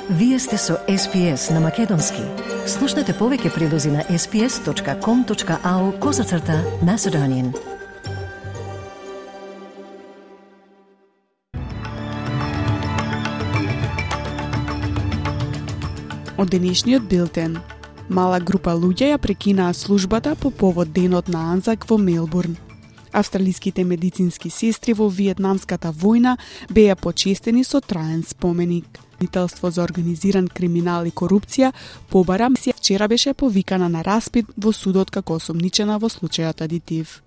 Вие сте со SPS на Македонски. Слушнете повеќе прилози на sps.com.au/Macedonian. Од денешниот билтен. Мала група луѓе ја прекинаа службата по повод денот на Анзак во Мелбурн. Австралиските медицински сестри во Виетнамската војна беа почестени со траен споменик. Обвинителство за организиран криминал и корупција побара вчера беше повикана на распит во судот како осомничена во случајот Адитив.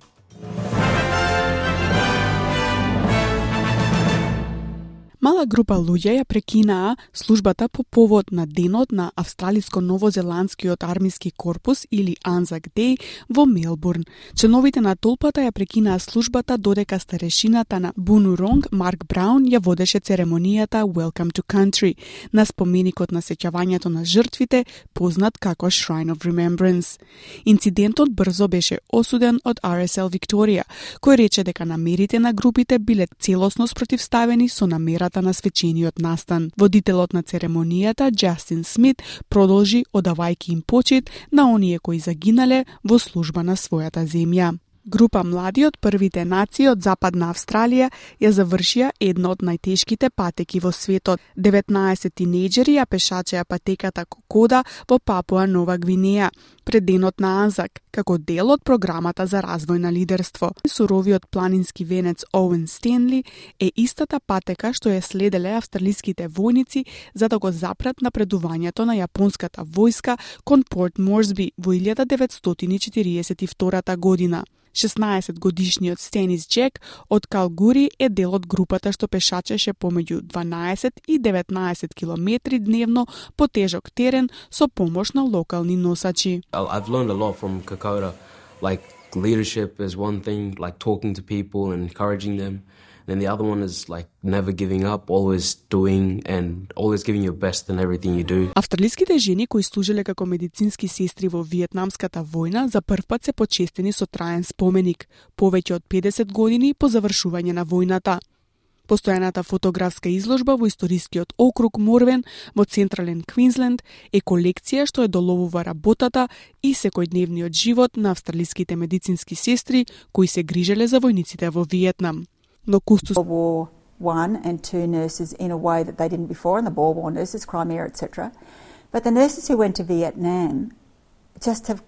Мала група луѓе ја прекинаа службата по повод на денот на Австралиско-новозеландскиот армиски корпус или Anzac Day во Мелбурн. Членовите на толпата ја прекинаа службата додека старешината на Бунуронг Марк Браун ја водеше церемонијата Welcome to Country на споменикот на сеќавањето на жртвите, познат како Shrine of Remembrance. Инцидентот брзо беше осуден од RSL Викторија, кој рече дека намерите на групите биле целосно спротивставени со намерата на свечениот настан. Водителот на церемонијата, Джастин Смит, продолжи одавајќи им почит на оние кои загинале во служба на својата земја. Група млади од првите нации од Западна Австралија ја завршија една од најтешките патеки во светот. 19 тинејџери ја пешачеа патеката Кокода во Папуа Нова Гвинеја пред денот на Анзак, како дел од програмата за развој на лидерство. Суровиот планински венец Оуен Стенли е истата патека што ја следеле австралиските војници за да го запрат напредувањето на јапонската војска кон Порт Морсби во 1942 година. 16-годишниот Стенис Джек од Калгури е дел од групата што пешачеше помеѓу 12 и 19 километри дневно по тежок терен со помош на локални носачи. I've learned a lot from Kokoda. Like leadership is one thing, like talking to people and encouraging them. Then the other one is like never giving up, always doing and always giving your best in everything you do. Австралиските жени кои служиле како медицински сестри во Виетнамската војна за првпат се почестени со траен споменик, повеќе од 50 години по завршување на војната. Постојаната фотографска изложба во историскиот округ Морвен во Централен Квинсленд е колекција што ја доловува работата и секојдневниот живот на австралиските медицински сестри кои се грижеле за војниците во Виетнам. Но кустос War I and II nurses in a way that they didn't before, and the Boer War nurses, Crimea, etc. But the nurses who went to Vietnam just have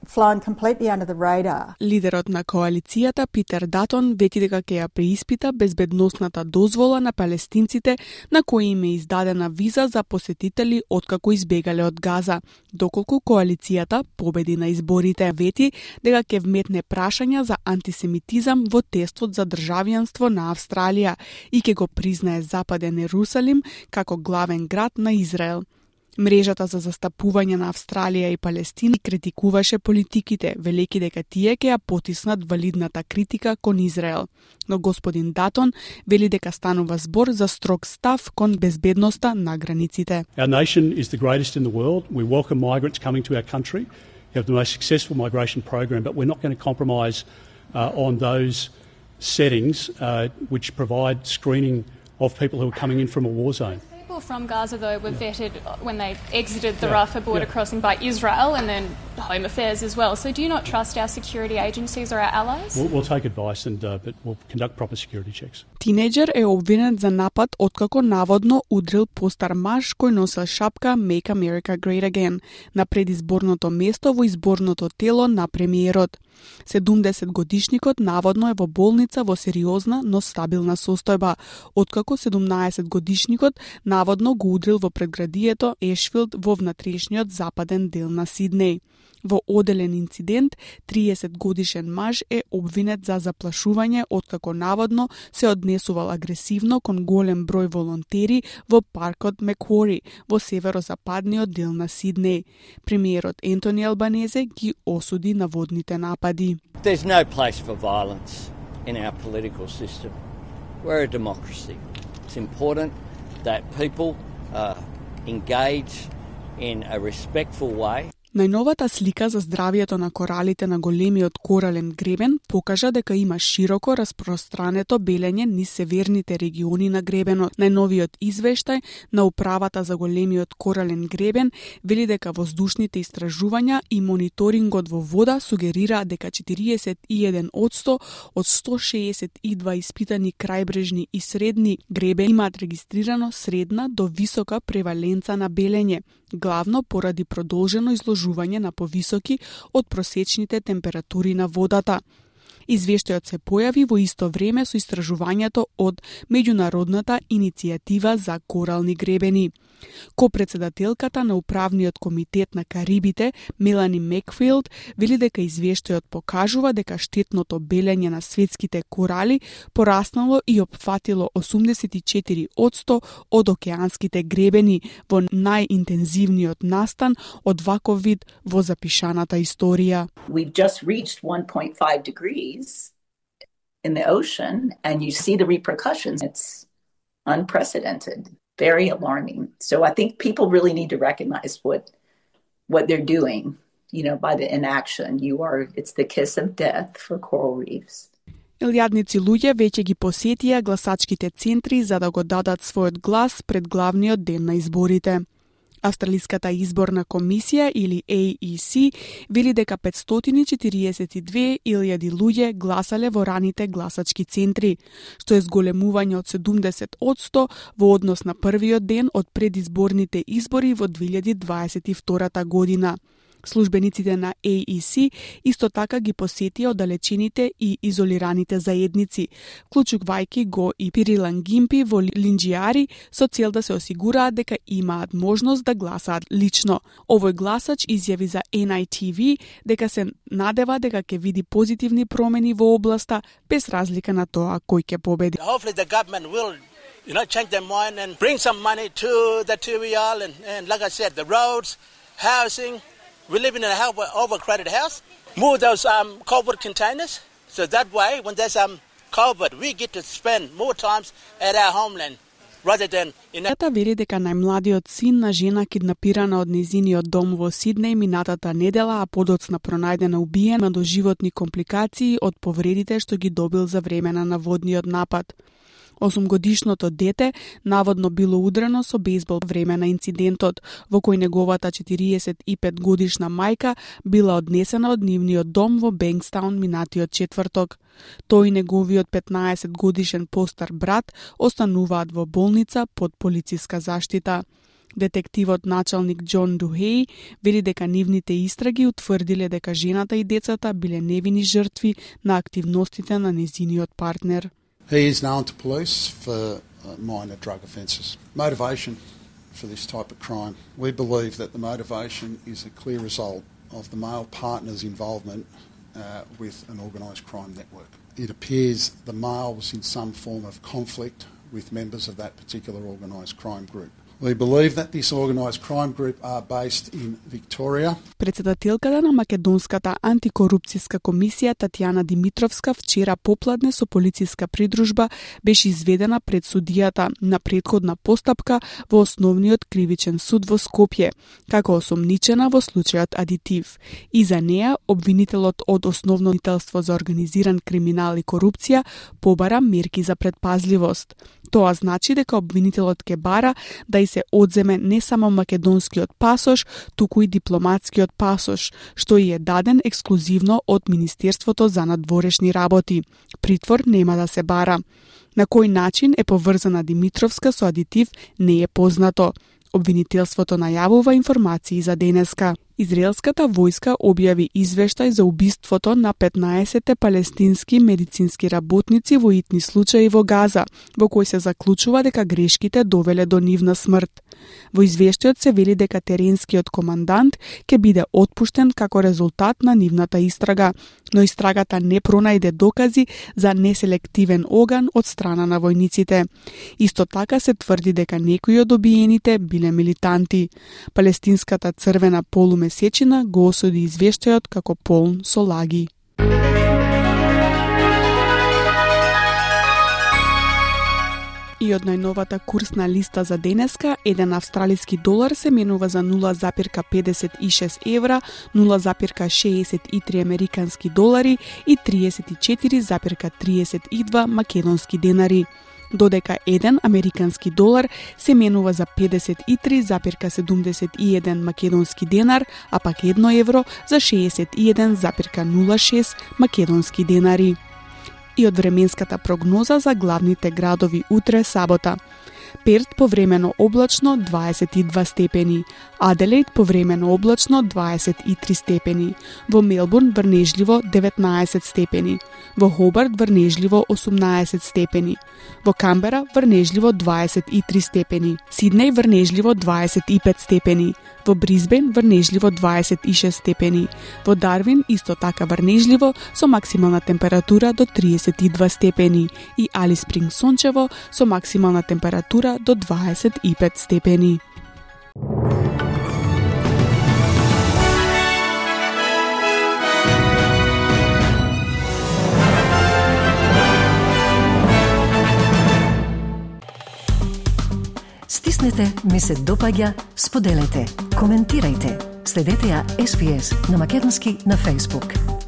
flown completely under the radar. Лидерот на коалицијата Питер Датон вети дека ќе ја преиспита безбедносната дозвола на палестинците на кои им е издадена виза за посетители откако избегале од Газа, доколку коалицијата победи на изборите. Вети дека ќе вметне прашања за антисемитизам во тестот за државјанство на Австралија и ќе го признае Западен Ерусалим како главен град на Израел. Мрежата за застапување на Австралија и Палестина критикуваше политиките, велејќи дека тие ќе ја потиснат валидната критика кон Израел. Но господин Датон вели дека станува збор за строг став кон безбедноста на границите. Our nation is the greatest in the world. We welcome migrants coming to our country. We have the most successful migration program, but we're not going to compromise on those settings which provide screening of people who are coming in from a war zone. People from Gaza, though, were vetted when they exited the Rafah border crossing by Israel and then Home Affairs as well. So do you not trust our security agencies or our allies? We'll take advice, but we'll conduct proper security checks. Тинејџер е обвинет за напад откако наводно удрил постар маж кој носел шапка Make America Great Again на предизборното место во изборното тело на премиерот. 70-годишникот наводно е во болница во сериозна, но стабилна состојба, откако 17-годишникот наводно го удрил во предградието Ешфилд во внатрешниот западен дел на Сиднеј. Во оделен инцидент, 30-годишен маж е обвинет за заплашување откако наводно се однесувал агресивно кон голем број волонтери во паркот Меквори во северозападниот дел на Сиднеј. Премиерот Ентони Албанезе ги осуди наводните напади. There's no place for violence in our political system. We're a democracy. It's important that people engage in a respectful way. Најновата слика за здравието на коралите на големиот корален гребен покажа дека има широко распространето белење низ северните региони на гребенот. Најновиот извештај на Управата за големиот корален гребен вели дека воздушните истражувања и мониторингот во вода сугерира дека 41% од 162 испитани крајбрежни и средни гребени имаат регистрирано средна до висока преваленца на белење, главно поради продолжено изложување на повисоки од просечните температури на водата. Извештајот се појави во исто време со истражувањето од Меѓународната иницијатива за корални гребени. Копредседателката на Управниот комитет на Карибите, Мелани Мекфилд, вели дека извештајот покажува дека штетното белење на светските корали пораснало и опфатило 84% од океанските гребени во најинтензивниот настан од ваков вид во запишаната историја. We've just reached 1.5 degrees in the ocean, and you see the repercussions. It's unprecedented, very alarming. So I think people really need to recognize what they're doing, by the inaction. It's the kiss of death for coral reefs. Илјадници луѓе веќе ги посетија гласачките центри за да го дадат својот глас пред главниот ден на изборите. Австралиската изборна комисија или AEC вели дека 542.000 луѓе гласале во раните гласачки центри, што е зголемување од 70% во однос на првиот ден од предизборните избори во 2022 година. Службениците на AEC исто така ги посетија оддалечените и изолираните заедници, вклучувајќи го и Пирилангимпи во Линџијари, со цел да се осигураат дека имаат можност да гласаат лично. Овој гласач изјави за NITV дека се надева дека ќе види позитивни промени во областа без разлика на тоа кој ќе победи. Hopefully the government will change their mind and bring some money to the TVL and like I said, the roads, housing. We live in an overcrowded house. Move those COVID containers, so that way, when there's COVID, we get to spend more times at our homeland rather than in. Тата вели дека најмладиот син на жена киднапирана од незиниот дом во Сиднеј минатата недела, а подоцна пронајдена убиена, има доживотни компликации од повредите што ги добил за време на наводниот напад. 8-годишното дете наводно било удрено со бейсбол време на инцидентот, во кој неговата 45-годишна мајка била однесена од нивниот дом во Бенкстаун минатиот четврток. Тој и неговиот 15-годишен постар брат остануваат во болница под полициска заштита. Детективот началник Џон Духеј вели дека нивните истраги утврдиле дека жената и децата биле невини жртви на активностите на незиниот партнер. He is known to police for minor drug offences. Motivation for this type of crime. We believe that the motivation is a clear result of the male partner's involvement with an organised crime network. It appears the male was in some form of conflict with members of that particular organised crime group. We believe that this organised crime group are based in Victoria. Председателката на Македонската антикорупцијска комисија Татјана Димитровска вчера попладне со полициска придружба беше изведена пред судијата на претходна постапка во Основниот кривичен суд во Скопје, како осомничена во случајот Адитив. И за неа обвинителот од Основно обвинителство за организиран криминал и корупција побара мерки за предпазливост. Тоа значи дека обвинителот ке бара да и се одземе не само македонскиот пасош, туку и дипломатскиот пасош, што и е даден ексклузивно од Министерството за надворешни работи. Притвор нема да се бара. На кој начин е поврзана Димитровска со Адитив не е познато. Обвинителството најавува информации за денеска. Израелската војска објави извештај за убиството на 15 палестински медицински работници во итни случаи во Газа, во кој се заклучува дека грешките довеле до нивна смрт. Во извештајот се вели дека теренскиот командант ќе биде отпуштен како резултат на нивната истрага, но истрагата не пронајде докази за неселективен оган од страна на војниците. Исто така се тврди дека некои од обиените биле милитанти. Палестинската црвена полумесечина го осуди извештајот како полн со лаги. И и од најновата курсна листа за денеска, еден австралиски долар се менува за 0,56 евра, 0,63 американски долари и 34,32 македонски денари, додека еден американски долар се менува за 53,71 македонски денар, а пак 1 евро за 61,06 македонски денари. И од временската прогноза за главните градови утре сабота. Перт повремено облачно 22 степени, Аделаид повремено облачно 23 степени, во Мелбурн врнежливо 19 степени, во Хобарт врнежливо 18 степени, во Камбера врнежливо 23 степени, Сиднеј врнежливо 25 степени, во Брисбен врнежливо 26 степени, во Дарвин исто така врнежливо со максимална температура до 32 степени и Алис Спрингс сончево со максимална температура до 25 степени. Стиснете, ми се допаѓа, споделете, коментирајте. Следете ја SPS на Македонски на Facebook.